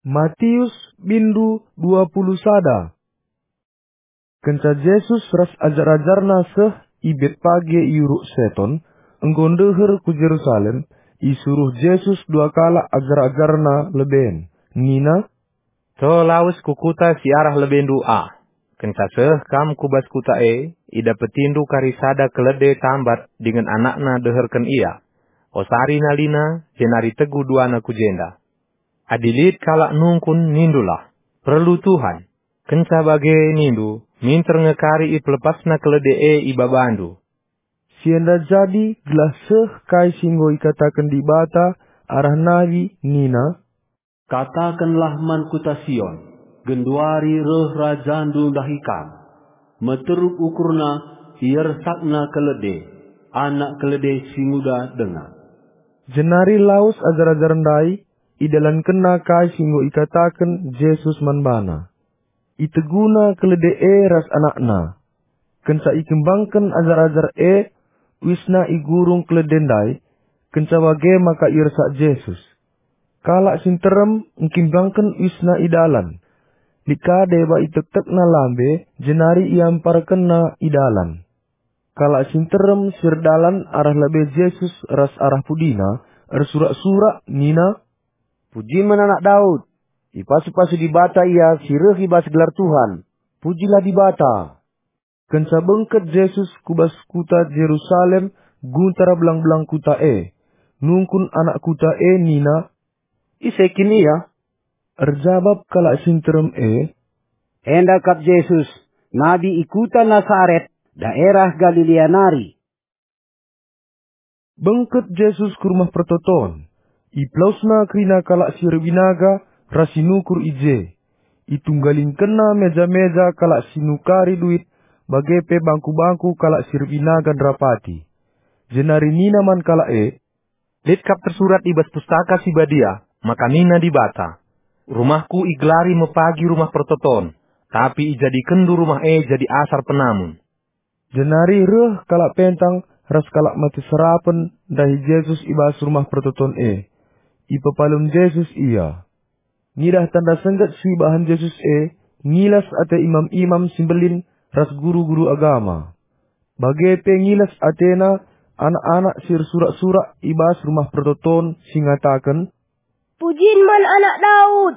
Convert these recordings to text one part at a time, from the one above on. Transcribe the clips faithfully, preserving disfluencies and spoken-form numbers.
Matius bindu dua puluh sada. Kenca Jesus ras ajar-ajarNa seh i Betpage i Uruk Seton, enggo ndeher ku Jerusalem, isuruh Jesus dua kalak ajar-ajarNa leben. Nina, "To lawes ku kuta si arah lebendu ah. Kenca seh kam ku bas kuta e, idapetindu kari sada kelede tambat dingen anakna deherken ia. Osari nalina, jenari tegu duana ku jenda. Adi lit kalak nungkun, nindulah, 'Perlu Tuhan.' Kenca bage nindu, minter nge kari ipelepasna kelede e i babandu." Si enda jadi gelah seh kai si enggo ikataken Dibata arah nabi nina, "Katakenlah man kuta Sion, 'Genduari reh Rajandu ndahi kam. Meteruk ukurna, iersakna kelede, anak kelede si nguda denga.'" Jenari lawes ajar-ajar ndai, idalankenna kai si enggo ikataken Jesus man bana. Iteguna kelede e ras anakna. Kenca ikembangken ajar-ajar e, uisna igurung kelede ndai, kenca bage maka iersak Jesus. Kalak si nterem engkimbangken uisna i dalan. Lit ka deba itektekna lambe, jenari iamparkenna i dalan. Kalak si nterem si erdalan arah lebe Jesus ras arah pudina, ersurak-surak nina, "Pujin man Anak Daud! Ipasu-pasu Dibata Ia si reh i bas gelar Tuhan! Pujilah Dibata!" Kenca bengket Jesus ku bas kuta Jerusalem, guntar belang-belang kuta e. Nungkun anak kuta e nina, "Ise kin Ia?" Erjabap kalak si nterem e, "Enda kap Jesus, nabi i kuta Nasaret, daerah Galilea nari." Bengket Jesus ku Rumah Pertoton. IpelawesNa kerina kalak si erbinaga ras si nukur i je. ItunggalingkenNa meja-meja kalak si nukari duit, bage pe bangku-bangku kalak si erbinaga nderapati. Jenari nina man kalak e, "Lit kap tersurat i bas Pustaka Si Badia maka nina Dibata, 'RumahKu igelari me pagi Rumah Pertoton,' tapi ijadikenndu rumah e jadi asar penamun." Jenari reh kalak pentang ras kalak mate serapen ndahi Jesus i bas Rumah Pertoton e. Ipepalem Jesus ia. Ngidah tanda sengget si ibahan Jesus e, ngilas ate imam-imam si mbelin ras guru-guru agama. Bage pe ngilas atena anak-anak si ersurak-surak i bas Rumah Pertoton si ngataken, "Pujin man Anak Daud!"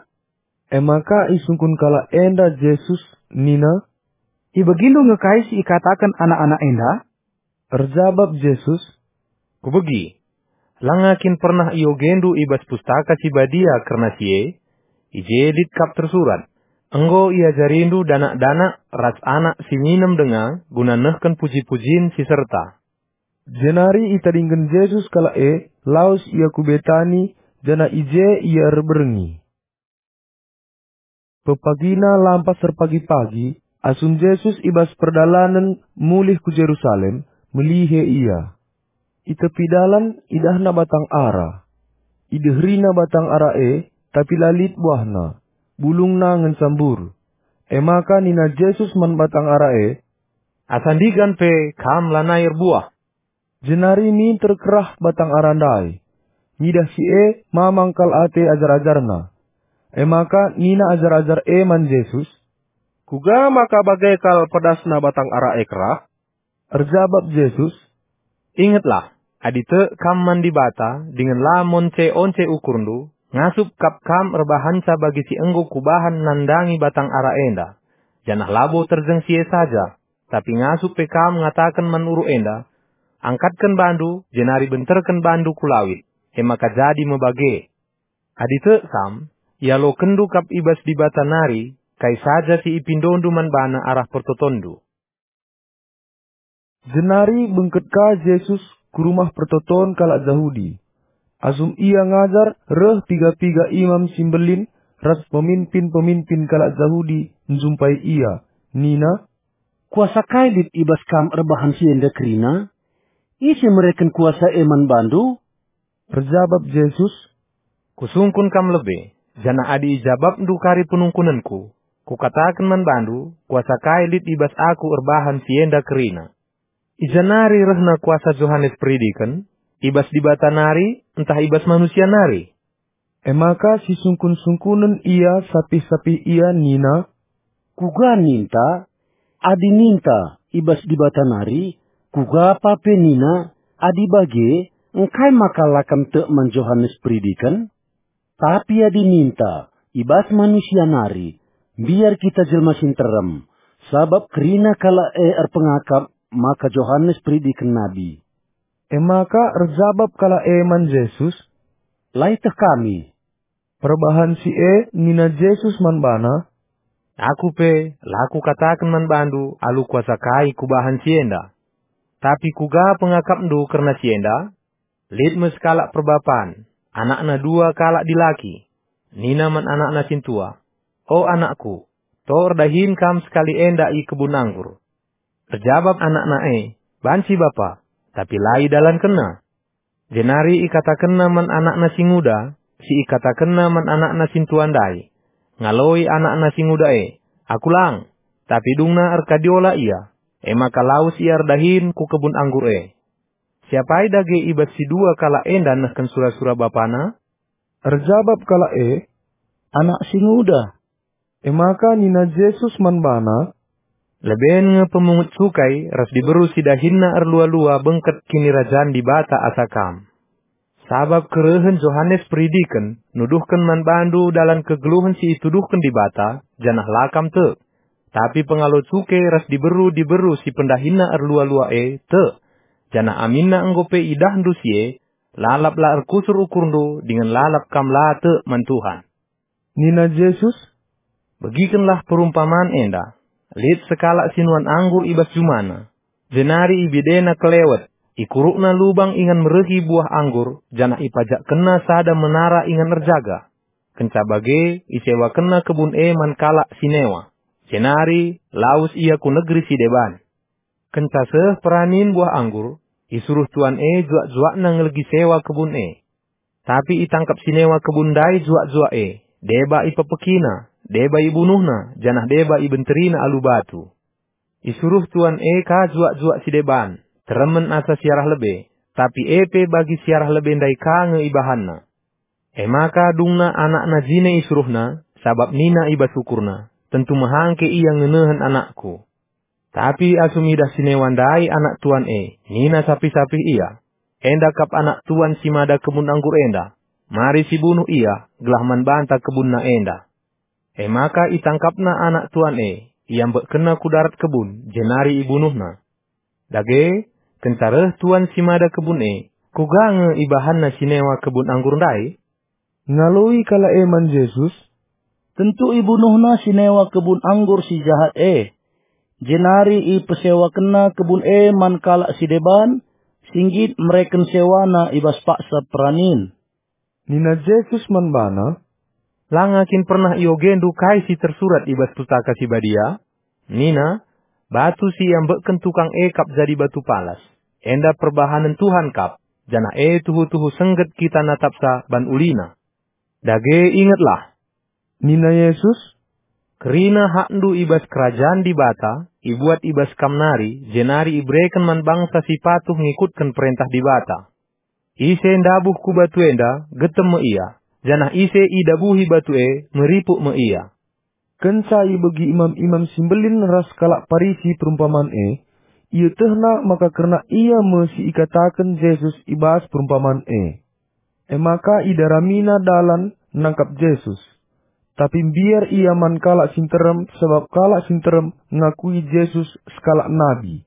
E maka isungkun kalak enda Jesus nina, "Ibegindu nge kai si ikataken anak-anak enda?" Erjabap Jesus, "Kubegi. Langa kin pernah iogendu i bas Pustaka Si Badia kerna si e? I je lit kap tersurat, 'Enggo iajarindu danak-danak ras anak si minem denga guna nehken puji-pujin si serta.'" Jenari itadingken Jesus kalak e, lawes ia ku Betani, janah i je ia erberngi. Pepagina lampas erpagi-pagi, asum Jesus i bas perdalanen mulih ku Jerusalem, melihe ia. I tepi dalan idahna batang ara. Ideherina batang ara e, tapi la lit buahna, bulungna ngenca mbur. E maka nina Jesus man batang ara e, "Asa ndigan pe kam lanai erbuah." Jenari minter kerah batang ara ndai. Ngidah si e, mamang kal ate ajar-ajarNa. E maka nina ajar-ajar e man Jesus, "Kuga maka bage kal pedasna batang ara e kerah?" Erjabap Jesus, "Ingetlah, adi tek kam man Dibata dingen la monce-once ukurndu, ngasup kap kam erbahanca bagi si enggo Kubahan nandangi batang ara enda, janah labo terjeng si e saja, tapi ngasup pe kam ngataken man uruk enda, 'Angkatken bandu, jenari benterken bandu ku lawit,' e maka jadi me bage. Adi tek kam, ialokenndu kap i bas Dibata nari kai saja si ipindondu man baNa arah pertotonndu." Jenari bengket ka Jesus ku Rumah Pertoton kalak Jahudi. Asum Ia ngajar, reh piga-piga imam si mbelin ras peminpin-peminpin kalak Jahudi njumpai Ia, nina, "Kuasa kai lit i bas Kam erbahan si enda kerina? Ise mereken kuasa e man baNdu?" Erjabap Jesus, "Kusungkun kam lebe, janah adi ijabapndu kari penungkunenKu, Kukataken man bandu, kuasa kai lit i bas Aku erbahan si enda kerina. I ja nari rehna kuasa Johanes Peridiken? I bas Dibata nari, ntah i bas manusia nari?" E maka sisungkun-sungkunen ia sapih-sapih ia nina, "Kuga ninta? Adi ninta, 'I bas Dibata nari,' kuga pa pe nina, 'Adi bage, engkai maka la kam tek man Johanes Peridiken?' Tapi adi ninta, 'I bas manusia nari,' mbiar kita jelma si nterem, sabap kerina kalak e erpengakap maka Johanes Peridiken nabi." E maka erjabap kalak e man Jesus, "La ieteh kami." Perbahan si e nina Jesus man bana, "Aku pe la kukataken man bandu alu kuasa kai kubahan si enda. Tapi kuga pengakapndu kerna si enda? Lit me sekalak perbapan, anakna dua kalak dilaki. Nina man anakna sintua, 'O anakku, to erdahin kam sekali enda i kebun anggur.' Erjabap anakna e, 'Banci, Bapa,' tapi la idalankenna. Jenari ikatakenna man anakna si nguda, si ikatakenna man anakna sintua ndai. Ngaloi anakna si nguda e, 'Aku lang.' Tapi dungna erkadiola ia, e maka lawes ia erdahin ku kebun anggur e. Siapai dage i bas si dua kalak enda nehken sura-sura bapana?" Erjabap kalak e, "Anak si nguda." E maka nina Jesus man bana, "Leben nge pemungut cukai ras diberu si dahinna erlua-lua bengket Kinirajan Dibata asa kam. Sabap kerehen Johanes Peridiken nuduhken man bandu dalan kegeluhen si ituduhken Dibata, janah la kam tek. Tapi pengalo cuke ras diberu-diberu si pendahinna erlua-lua e tek, janah aminna enggo pe idahndu si e, lalap la erkusur ukurndu dingen lalap kam la tek man Tuhan." Nina Jesus, "Begikenlah perumpaman enda. Lit sekalak si nuan anggur i bas jumana, jenari ibedena kelewet, ikurukna lubang ingan merehi buah anggur, janah ipajakkenna sada menara ingan erjaga. Kenca bage, isewakenna kebun e man kalak si newa, jenari lawes ia ku negeri si deban. Kenca seh peranin buah anggur, isuruh tuan e juak-juakna ngelegi sewa kebun e. Tapi itangkap si newa kebun ndai juak-juak e, deba ipepekina, deba ibunuhna, janah deba ibenterina alu batu. Isuruh tuan e ka juak-juak si deban, teremen asa siarah lebe, tapi e pe bagi siarah lebe ndai ka nge ibahanna. E maka dungna anakna jine isuruhna, sabap nina i bas ukurna, 'Tentu mehangke ia ngenehen anakku.' Tapi asum idah si newa ndai anak tuan e, nina sapih-sapih ia, 'Enda kap anak tuan si mada kebun anggur enda. Mari sibunuh ia, gelah man banta kebunna enda.' E maka itangkapna anak tuan e, iambekkenna ku darat kebun, jenari ibunuhna. Dage, kenca reh tuan si mada kebun e, kuga nge ibahanna si newa kebun anggur ndai?" Ngaloi kalak e man Jesus, "Tentu ibunuhna si newa kebun anggur si jahat e, jenari ipesewakenna kebun e man kalak si deban, si nggit mereken sewana i bas paksa peranin." Nina Jesus man bana, "Langa kin pernah iogendu kai si tersurat i bas Pustaka Si Badia? Nina, 'Batu si iambekken tukang e kap jadi batu palas. Enda perbahanen Tuhan kap, janah e tuhu-tuhu sengget kita natapsa ban ulina.' Dage ingetlah," nina Jesus, "kerina hakndu i bas kerajan Dibata ibuat i bas kam nari, jenari ibereken man bangsa si patuh ngikutken perentah Dibata. Ise ndabuh ku batu enda, getem me ia, janah ise idabuhi batu e, meripuk me ia." Kenca ibegi imam-imam si mbelin ras kalak Parisi perumpaman e, ietehna maka kerna ia me si ikataken Jesus i bas perumpaman e. E maka idaramina dalan nangkap Jesus. Tapi mbiar ia man kalak si nterem, sabap kalak si nterem ngakui Jesus sekalak nabi.